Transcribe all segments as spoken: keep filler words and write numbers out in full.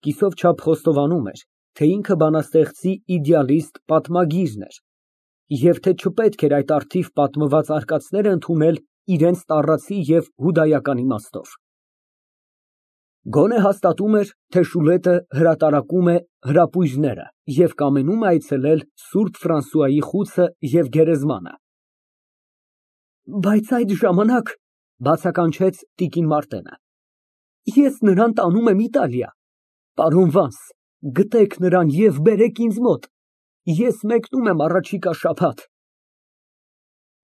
Կիսով չափ խոստովանում էր, թե ինքը բանաստեղծի իդեալիստ պատմագիրն էր, և թե չպետք էր այդ առթիվ պատմված արկածները ընդունել իրենց տառացի և հուդայական իմաստով։ Գոնե հաստատում էր, թե Շուլետը հրատարակում է Հրապույրները և կամենում է այցելել Սուրբ Ֆրանսուայի խուցը և գերեզմանը։ Բայց այդ ժամանակ, բացականչեց տիկին Մարտենը, ես նրան տանում եմ Իտալիա։ Պարոն Վանս, գտեք նրան և բերեք ինձ մոտ, ես մեկնում եմ առաջիկա շաբաթ։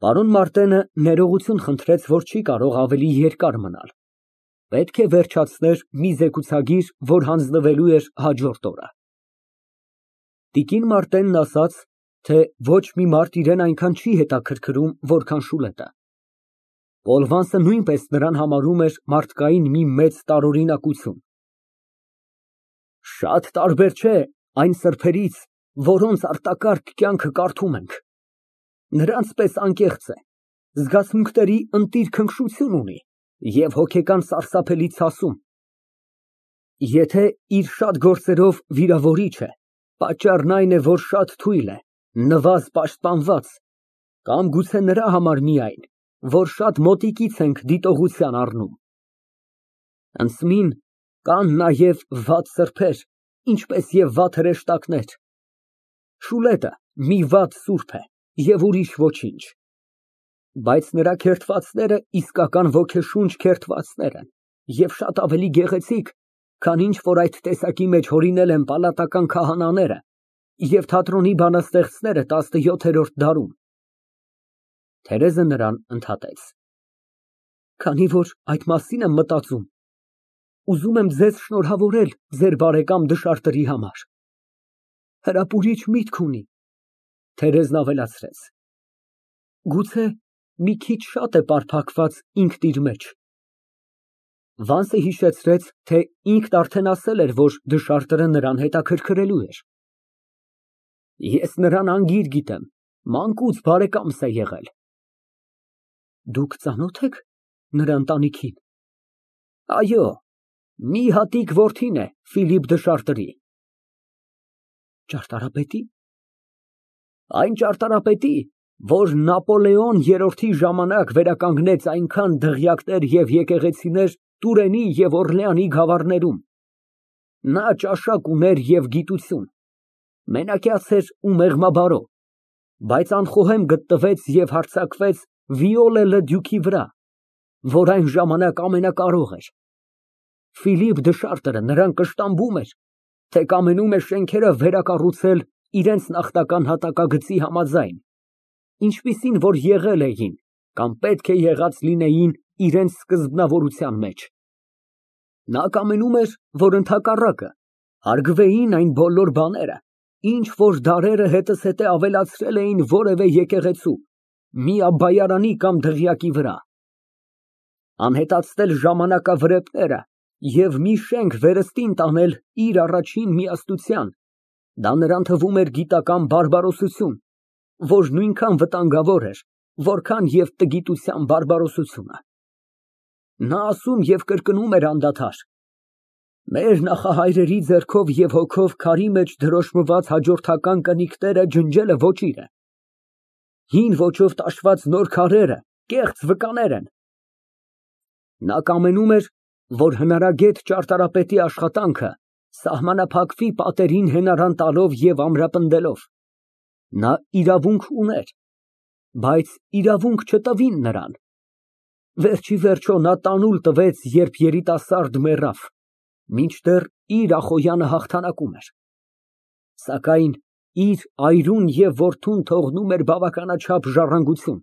Պարոն Մարտենը ներողություն խնդրեց, որ չի կարող ավելի երկար մնալ, պետք է վերջացներ մի զեկուցագիր, որ հանձնվելու էր հաջորդ օրը։ Տիկին Մարտենն ասաց, թե ոչ մի մարդ իրան այնքան չի հետաքրքրում, որքան Շուլետը։ Պոլ Վանսը նույնպես նրան համարում էր մարդկային մի մեծ տարօրինակություն։ Շատ տարբեր չէ այն սրբերից, որոնց արտակարգ կյանքը կարդում ենք, նրանց պես անկեղծ է, զգացմունքների ընտիր քնքշություն ունի և հոգեկան սարսափելի ցասում։ Եթե իր շատ գործերով վիրավորիչ է, պատճառն այն է, որ շատ թույլ է, նվազ պաշտպանված, կամ գուցե նրա համար միայն, որ շատ մոտիկից ենք դիտողության առնում։ Անցմին կան նաև վատ սրբեր, ինչպես և վատ հրեշտակներ։ Շուլետը մի վատ սուրբ է և ուրիշ ոչինչ։ Բայց նրա քերթվածները իսկական ոգեշունչ քերթվածներ են և շատ ավելի գեղեցիկ, քան ինչ որ այդ տեսակի մեջ հորինել են պալատական քահանաները և թատրոնի բանաստեղծները տասնյոթերորդ դարում։ Թերեզը նրան ընդհատեց։ Քանի որ այդ մասին եմ մտածում, ուզում եմ ձեզ շնորհավորել ձեր բարեկամ դշարտերի համար։ Հրապուրիչ միտք ունի։ Թերեզն ավելացրեց. Գուցե մի քիչ շատ է պարփակված ինքն իր մեջ։ Վանսը հիշեցրեց, թե ինքն արդեն ասել էր, որ դշարտը նրան հետաքրքրելու էր։ Ես նրան անգիր գիտեմ, մանկուց բարեկամս է եղել։ Դուք ծանո՞թ եք նրա ընտանիքին։ Այո, մի հատիկ որդին է Ֆիլիպ դշարտերի։ Ճարտարապետի։ Այն ճարտարապետի, որ Նապոլեոն երրորդի ժամանակ վերականգնեց այնքան դղյակներ և եկեղեցիներ Տուրենի և Օրլեանի գավառներում։ Նա ճաշակ ուներ և գիտություն, մենակյաց էր ու մեղմաբարո, բայց անխոհեմ գտնվեց և հարձակվեց Վիոլե Լը Դյուկի վրա, որ այն ժամանակ ամենակարող էր։ Ֆիլիպ դշարտերը նրան կշտամբում էր, թե կամենում է շենքերը վերակառուցել իրենց նախնական հատակագծի համաձայն, ինչպիսին որ եղել էին կամ պետք է եղած լինեին իրենց սկզբնավորության մեջ։ Նա կամենում էր, որ ընդհակառակը հարգվեին այն բոլոր բաները, ինչ որ դարերը հետզհետե ավելացրել էին որևէ եկեղեցու, միաբայարանի կամ դղյակի վրա։ Անհետացնել ժամանակավրեպները և մի շենք վերստին տանել իր առաջին միաստության, դա նրան թվում էր գիտական բարբարոսություն, որ նույնքան վտանգավոր էր, որքան և տգիտության բարբարոսությունը։ Նա ասում և կրկնում էր անդադար. մեր նախահայրերի ձեռքով և հոգով քարի մեջ դրոշմված հաջորդական կնիկները ջնջելը ոճիր է։ Հին ոճով տաշված նոր քարերը կեղծ վկաներ են։ Նա կամենում էր, որ հնարագետ ճարտարապետի աշխատանքը սահմանափակվի պատերին հենարան տալով և ամրապնդելով։ Նա իրավունք ուներ, բայց իրավունք չտվին նրան։ Վերջիվերջո նա տանուլ տվեց, երբ երիտասարդ մեռավ, մինչդեռ իր Ախոյանը հաղթանակում էր։ Սակայն իր այրուն և որդուն թողնում էր բավականաչափ ժառանգություն։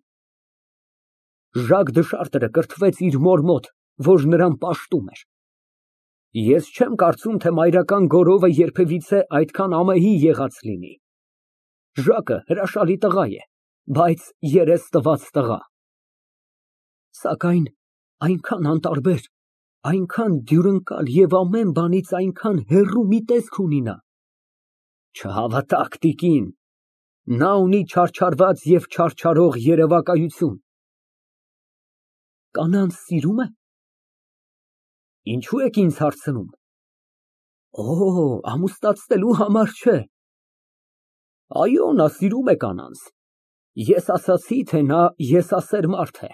Ժակ դշարտերը կրթվեց իր մոր մոտ, որ նրան պաշտում էր։ Ես չեմ կարծում, թե մայրական գորովը երբևիցե այդքան ամեհի եղած լինի։ Ժակը հրաշալի տղա է, բայց երես տված տղա։ Սակայն այնքան անտարբեր, այնքան դյուրընկալ և ամեն բանից այնքան հեռու մի տեսք ունի նա։ Չհավատաք, տիկին, նա ունի չարչարված և չարչարող երևակայություն։ Կանանց սիրո՞ւմ է։ Ինչո՞ւ եք ինձ հարցնում։ Օ, ամուսնացնելու համար չէ։ Այո, նա սիրում է կանանց։ Ես ասացի, թե նա եսասեր մարդ է։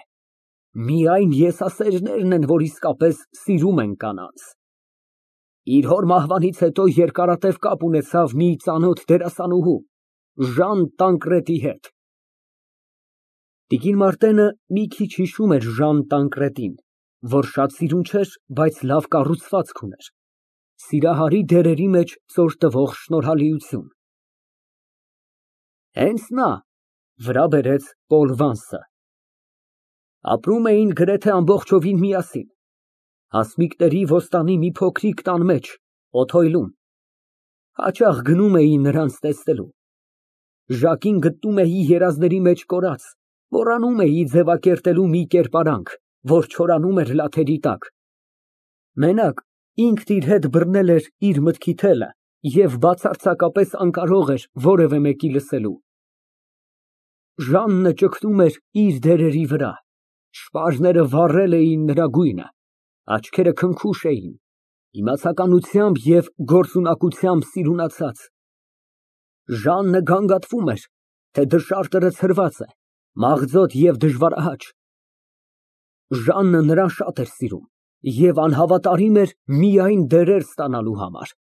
Միայն եսասերներն են, որ իսկապես սիրում են կանանց։ Իր հոր մահվանից հետո երկարատև կապ ունեցավ մի ծանոթ դերասանուհու, Ժան Տանկրետի հետ։ Տիկին Մարտենը մի քիչ հիշում էր Ժան Տանկրետին, որ շատ սիրուն չէր, բայց լավ կառուցվածք ուներ, սիրահարի դերերի մեջ ծոր տվող շնորհալիություն։ Հենց նա, վրա բերեց Պոլ Վանսը։ Ապրում էին գրեթե ամբողջովին միասին, հասմիկների ոստանի մի փոքրիկ տան մեջ, օթոյլում, հաճախ գնում էի նրանց տեսնելու։ Ժակին գտնում էի երազների մեջ կորած, մոռանում էի ձևակերտելու մի կերպարանք, որ չորանում էր լաթերի տակ։ Մենակ ինքն իր հետ բռնել էր իր մտքի թելը և բացարձակապես անկարող էր որևէ մեկի լսելու։ Ժաննը ճգնում էր իր դերերի վրա, շպարները վառել էին նրա գույնը, աչքերը քնքուշ էին, իմացականությամբ և գործունակությամբ սիրունացած։ Ժաննը գանգատվում էր, թե դշարտը ցրված է, մաղձոտ և դժվարահաճ։ Ժաննը նրան շատ էր սիրում և անհավատարիմ էր միայն դերեր ստանալու համար։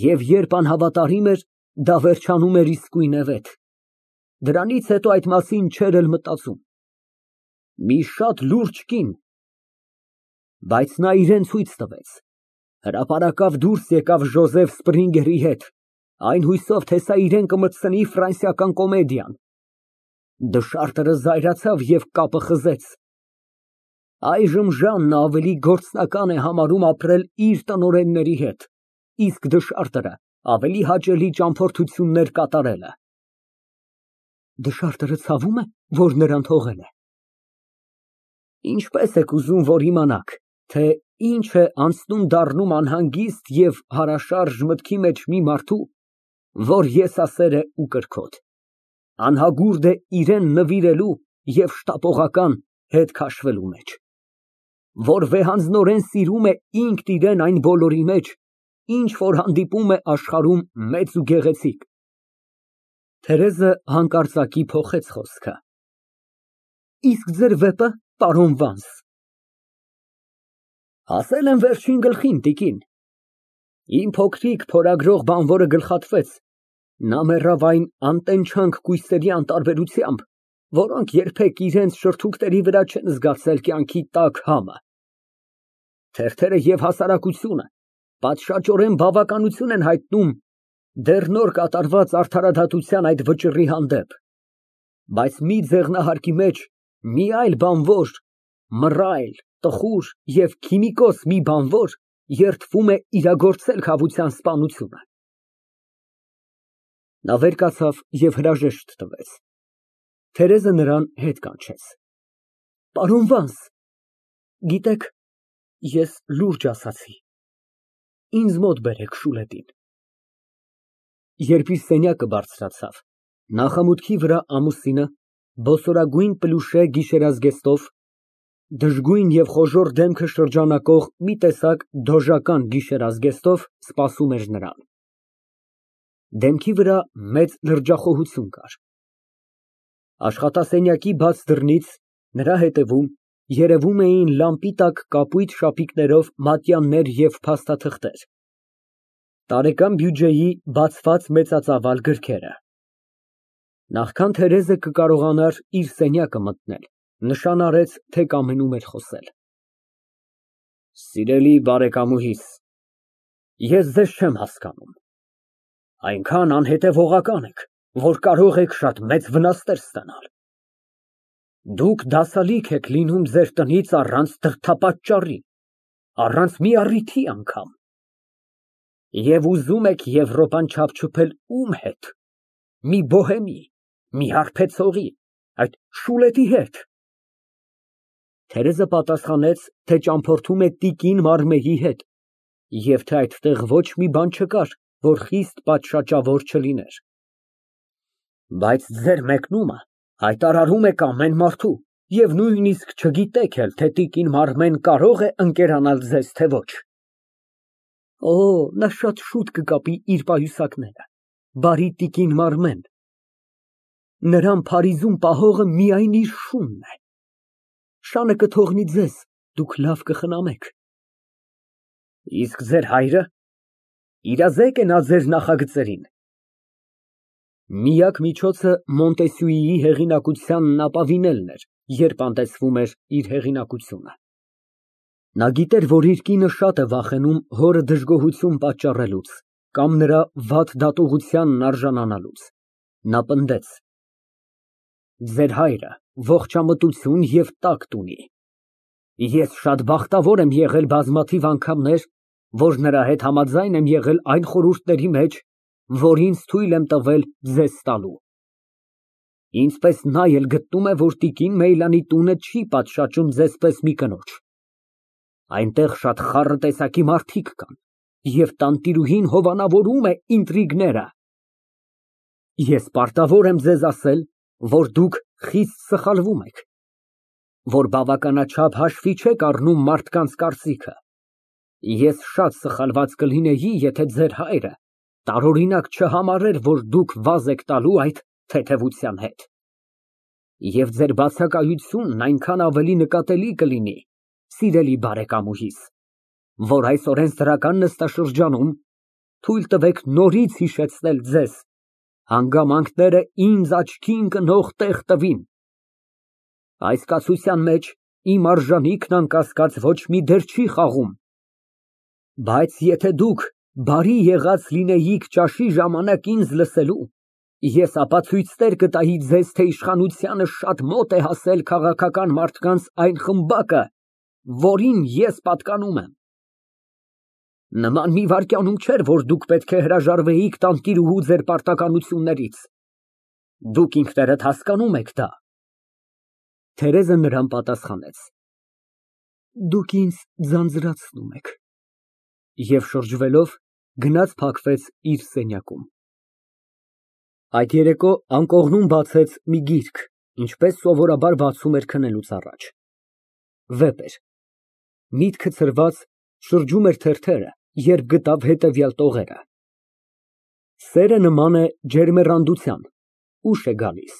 Եվ երբ անհավատարիմ էր, դա վերջանում էր իսկույնևեթ։ Դրանից հետո այդ մասին չէր էլ մտածում։ Մի շատ լուրջ կին։ Բայց նա իրան ցույց տվեց։ Հրապարակավ դուրս եկավ Ժոզեֆ Սպրինգերի հետ, այն հույսով, թե սա իրան կմտցնի ֆրանսիական կոմեդիան։ Դշարտը զայրացավ և կապը խզեց։ Այժմ Ժաննը ավելի գործնական է համարում ապրել իր տնօրենների հետ, իսկ դշարտը ավելի հաճելի ճամփորդություններ կատարելը։ Դշարտը ցավում է, որ նրան թողել է։ Ինչպես եք ուզում, որ իմանաք, թե ինչ է անցնում դառնում անհանգիստ և հարաշարժ մտքի մեջ մի մարդու, որ եսասեր է ու կրքոտ, անհագուրդ է իրան նվիրելու և շտապողական հետ քաշվելու մեջ, որ վեհանձնորեն սիրում է ինքն իրան այն բոլորի մեջ, ինչ որ հանդիպում է աշխարհում մեծ ու գեղեցիկ։ Թերեզը հանկարծակի փոխեց խոսքը։ Իսկ ձեր վեպը, պարոն Վանս։ Ասել եմ վերջին գլխին, տիկին։ Իմ փոքրիկ փորագրող բանվորը գլխատվեց, նա մեռավ այն անտենչանք կույսերի անտարբերությամբ, որոնք երբեք իրենց շրթունքների վրա չեն զգացել կյանքի տաք համը։ Թերթերը և հասարակությունը պատշաճորեն բավականություն են հայտնում դեռ նոր կատարված արդարադատության այդ վճռի հանդեպ, բայց մի ձեղնահարկի մեջ մի այլ բանվոր, մռայլ, տխուր և քիմիկոս մի բանվոր երդվում է իրագործել քավության սպանությունը։ Նա վեր կացավ և հրաժեշտ տվեց։ Թերեզը նրան հետ կանչեց։ Պարոն Վանս, գիտեք, ես լուրջ ասացի, ինձ մոտ բերեք Շուլետին։ Երբ իր սենյակը բարձրացավ, նախամուտքի վրա ամուսինը, բոսորագույն պլյուշե գիշերազգեստով, դժգույն և խոժոռ դեմքը շրջանակող մի տեսակ դոժական գիշերազգեստով սպասում էր նրան։ Դեմքի վրա մեծ լրջախոհություն կար։ Աշխատասենյակի բաց դռնից նրա հետևում երևում էին լամպի տակ կապույտ շապիկներով մատյաններ և փաստաթղթեր, տարեկան բյուջեի բացված մեծածավալ գրքերը։ Նախքան Թերեզը կկարողանար իր սենյակը մտնել, նշան արեց, թե կամենում էր խոսել։ Սիրելի բարեկամուհիս, ես ձեզ չեմ հասկանում, այնքան անհետևողական եք, որ կարող եք շատ մեծ վնասներ ստանալ։ Դուք դասալիկ եք լինում ձեր տնից առանց դրդապատճառի, առանց մի առիթի անգամ։ Եվ ուզում եք Եվրոպան չափչփել ում հետ, մի բոհեմի, մի հարբեցողի, այդ Շուլետի հետ։ Թերեզը պատասխանեց, թե ճամփորդում է տիկին Մարմեի հետ, և թե այդտեղ ոչ մի բան չկար, որ խիստ պատշաճավոր չլիներ։ Բայց ձեր մեկնումը հայտարարում եք ամեն մարդու, և նույնիսկ չգիտեք էլ, թե տիկին Մարմեն կարո՞ղ է ընկերանալ ձեզ, թե ոչ։ Օ, նա շատ շուտ կկապի իր պայուսակները, բարի տիկին մարմեն, նրան Փարիզում պահողը միայն իր շունն է, շանը կթողնի ձեզ, դուք լավ կխնամեք։ Իսկ ձեր հայրը, իրազեկ է նա ձեր նախագծերին։ Միակ միջոցը Մոնտեսյուիի հեղինակությանն ապավինելն էր, երբ անտեսվում էր իր հեղինակությունը։ Նա գիտեր, որ իր կինը շատ է վախենում հորը դժգոհություն պատճառելուց կամ նրա վատ դատողությանն արժանանալուց։ Նա պնդեց. ձեր հայրը ողջամտություն և տակտ ունի։ Ես շատ բախտավոր եմ եղել բազմաթիվ անգամներ, որ նրա հետ համաձայն եմ եղել այն խորհուրդների մեջ, որ ինձ թույլ եմ տվել ձեզ տալու։ Ինձ պես նա էլ գտնում է, որ տիկին Մեյլանի տունը չի պատշաճում ձեզ պես մի կնոջ։ Այնտեղ շատ խառը տեսակի մարդիկ կան, և տանտիրուհին հովանավորում է ինտրիգները։ Ես պարտավոր եմ ձեզ ասել, որ դուք խիստ սխալվում եք, որ բավականաչափ հաշվի չեք առնում մարդկանց կարծիքը։ Ես շատ սխալված կլինեի, եթե ձեր հայրը տարօրինակ չհամարեր, որ դուք վազ եք տալու այդ թեթևության հետ։ Եվ ձեր բացակայությունն այնքան ավելի նկատելի կլինի, սիրելի բարեկամուհիս, որ այս օրենսդրական նստաշրջանում թույլ տվեք նորից հիշեցնել ձեզ, հանգամանքները ինձ աչքի ընկնող տեղ տվին։ Այս կացության մեջ իմ արժանիքն անկասկած ոչ մի դեր չի խաղում։ Բայց եթե դուք բարի եղած լինեիք ճաշի ժամանակ ինձ լսելու, ես ապացույցներ կտայի ձեզ, թե իշխանությանը շատ մոտ է հասել քաղաքական մարդկանց այն խմբակը, որին ես պատկանում եմ։ Նման մի վայրկյանում չէր, որ դուք պետք է հրաժարվեիք տանտիրուհու ձեր պարտականություններից։ Դուք ինքներդ հասկանում եք դա։ Թերեզը նրան պատասխանեց. Դուք ինձ ձանձրացնում եք։ Եվ շրջվելով գնաց փակվեց իր սենյակում։ Այդ երեկո անկողնում բացեց մի գիրք, ինչպես սովորաբար բացում էր քնելուց առաջ։ Վեպ էր։ Միտքը ցրված շրջում էր թերթերը, երբ գտավ հետևյալ տողերը. Սերը նման է ջերմեռանդության, ուշ է գալիս։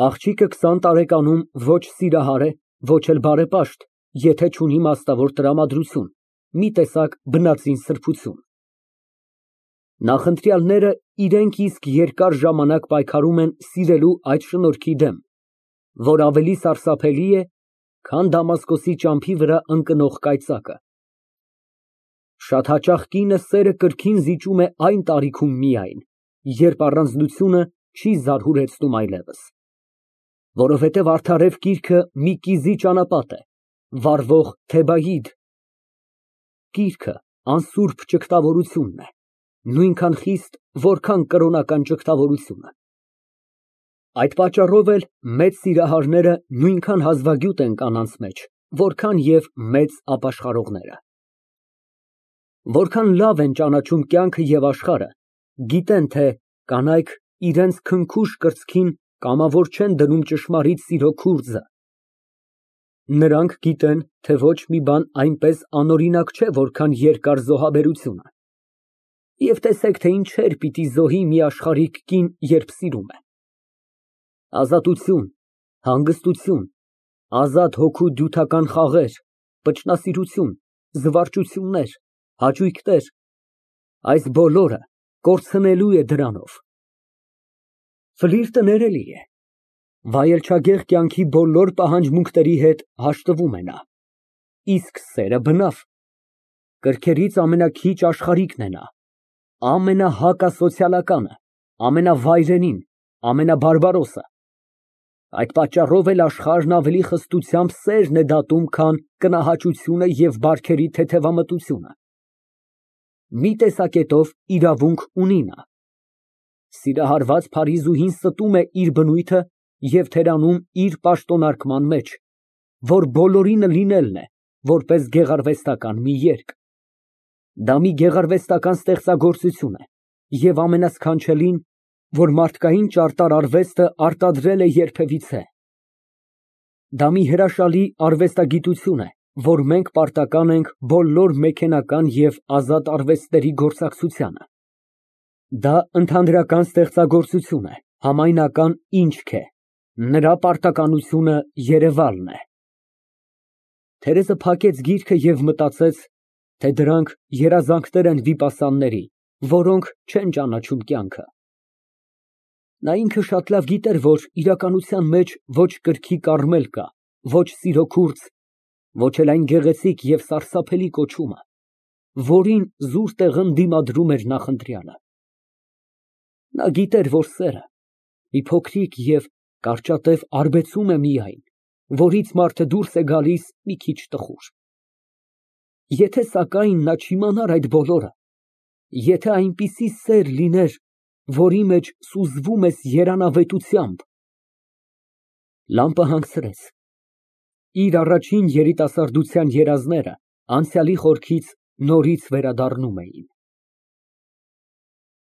Աղջիկը քսան տարեկանում ոչ սիրահար է, ոչ էլ բարեպաշտ, եթե չունի մասնավոր տրամադրություն, մի տեսակ բնածին սրբություն։ Նախընտրյալները իրենք իսկ երկար ժամանակ պայքարում են սիրելու այդ շնորհքի դեմ, որ ավելի սարսափելի է, քան Դամասկոսի ճամփի վրա ընկնող կայծակը։ Շատ հաճախ կինը սերը կրքին զիջում է այն տարիքում միայն, երբ առանձնությունը չի զարհուրեցնում այլևս։ Որովհետև արդարև կիրքը մի կիզի ճանապատ է, վառվող Թեբայիդ։ Կիրքը անսուրբ ճգտավորությունն է, նույնքան խիստ, որքան կրոնական ճգտավորությունը։ Այդ պատճառով էլ մեծ սիրահարները նույնքան հազվագյուտ են կանանց մեջ, որքան և մեծ ապաշխարողները։ Որքան լավ են ճանաչում կյանքը և աշխարհը, գիտեն, թե կանայք իրենց քնքուշ կրծքին կամավոր չեն դնում ճշմարիտ սիրո քուրձը։ Նրանք գիտեն, թե ոչ մի բան այնպես անօրինակ չէ, որքան երկար զոհաբերությունը։ Եվ տեսեք, թե ինչեր պիտի զոհի մի աշխարհիկ կին, երբ սիրում է։ Ազատություն, հանգստություն, ազատ հոգու դյութական խաղեր, վճռասիրություն, զվարճություններ, հաճույքներ, այս բոլորը կորցնելու է դրանով։ Ֆլիրտը ներելի է, վայելչագեղ կյանքի բոլոր պահանջմունքների հետ հաշտվում է նա, իսկ սերը բնավ, կրքերից ամենաքիչ աշխարհիկն է նա, ամենահակասոցիալականը, ամենավայրենին, ամենաբարբարոսը։ Այդ պատճառով էլ աշխարհն ավելի խստությամբ սերն է դատում, քան կնահաճությունը և բարքերի թեթևամտությունը։ Մի տեսակետով իրավունք ունի նա։ Սիրահարված փարիզուհին ստում է իր բնույթը և թերանում իր պաշտոնարկման մեջ, որ բոլորինը լինելն է, որպես գեղարվեստական մի երգ։ Դա մի գեղարվեստական ստեղծագործություն է և ամենասքանչելին, որ մարդկային ճարտար արվեստը արտադրել է երբևիցե։ Դա մի հրաշալի արվեստագիտություն է, որ մենք պարտական ենք բոլոր մեքենական և ազատ արվեստների գործակցությանը։ Դա ընդհանրական ստեղծագործություն է, համայնական ինչք է, նրա պարտականությունը երևալն է։ Թերեզը փակեց գիրքը և մտածեց, թե դրանք երազանքներ են վիպասանների, որոնք չեն ճանաչում կյանքը։ Նա ինքը շատ լավ գիտեր, որ իրականության մեջ ոչ կրքի կառմել կա, ոչ սիրո քուրձ, ոչ էլ այն գեղեցիկ և սարսափելի կոչումը, որին զուր տեղն դիմադրում էր նախընտրյալը։ Նա գիտեր, որ սերը մի փոքրիկ և կարճատև արբեցում է միայն, որից մարդը դուրս է գալիս մի քիչ տխուր։ Եթե սակայն նա չիմանար այդ բոլորը, եթե այնպիսի սեր լիներ, որի մեջ սուզվում ես երանավետությամբ… Լամպը հանգցրեց։ Իր առաջին երիտասարդության երազները անցյալի խորքից նորից վերադառնում էին։